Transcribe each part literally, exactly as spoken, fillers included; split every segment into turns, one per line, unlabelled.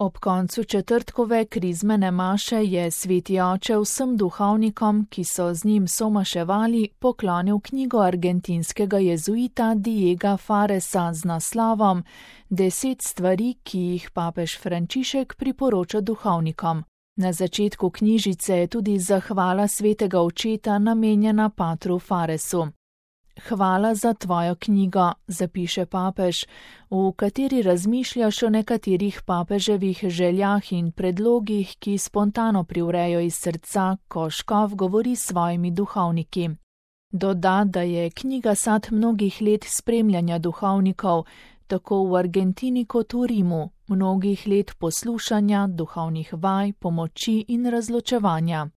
Ob koncu četrtkove krizmene maše je sveti oče vsem duhovnikom, ki so z njim somaševali, poklonil knjigo argentinskega jezuita Diega Faresa z naslovom Deset stvari, ki jih papež Frančišek priporoča duhovnikom. Na začetku knjižice je tudi zahvala svetega očeta namenjena patru Faresu. Hvala za tvojo knjigo, zapiše papež, v kateri razmišljaš o nekaterih papeževih željah in predlogih, ki spontano privrejo iz srca, ko škof govori s svojimi duhovniki. Doda, da je knjiga sad mnogih let spremljanja duhovnikov, tako v Argentini kot v Rimu, mnogih let poslušanja, duhovnih vaj, pomoči in razločevanja.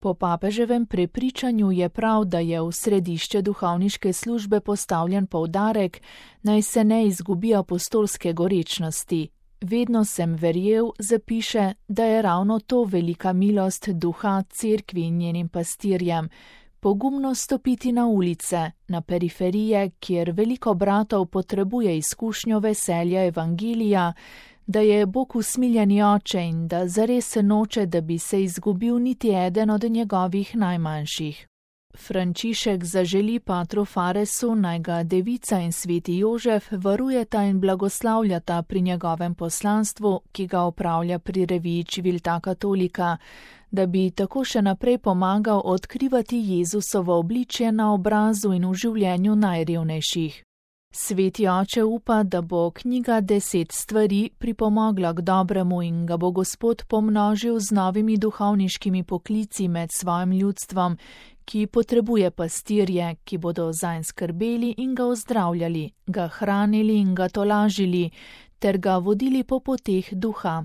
Po papeževem prepričanju je prav, da je v središče duhovniške službe postavljen poudarek, naj se ne izgubi apostolske gorečnosti. Vedno sem verjel, zapiše, da je ravno to velika milost duha cerkvi in njenim pastirjem. Pogumno stopiti na ulice, na periferije, kjer veliko bratov potrebuje izkušnjo veselja evangelija, da je Bog usmiljeni oče in da zares noče, da bi se izgubil niti eden od njegovih najmanjših. Frančišek zaželi patru Faresu, naj ga devica in sveti Jožef varujeta in blagoslavljata pri njegovem poslanstvu, ki ga opravlja pri reviji Civiltà Cattolica, da bi tako še naprej pomagal odkrivati Jezusovo obličje na obrazu in v življenju najrevnejših. Sveti oče upa, da bo knjiga Deset stvari pripomogla k dobremu in ga bo Gospod pomnožil z novimi duhovniškimi poklici med svojim ljudstvom, ki potrebuje pastirje, ki bodo zanj skrbeli in ga ozdravljali, ga hranili in ga tolažili, ter ga vodili po poteh duha.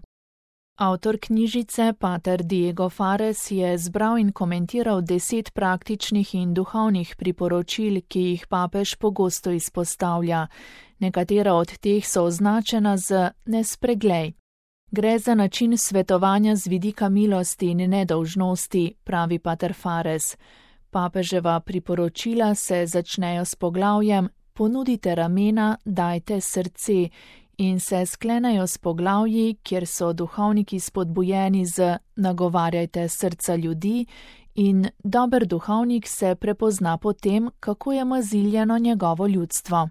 Avtor knjižice, pater Diego Fares, je zbral in komentiral deset praktičnih in duhovnih priporočil, ki jih papež pogosto izpostavlja. Nekatera od teh so označena z ne spreglej. Gre za način svetovanja z vidika milosti in nedolžnosti, pravi pater Fares. Papeževa priporočila se začnejo s poglavjem Ponudite ramena, dajte srce, in se sklenejo s poglavji, kjer so duhovniki spodbujeni z nagovarjajte srca ljudi in dober duhovnik se prepozna po tem, kako je maziljeno njegovo ljudstvo.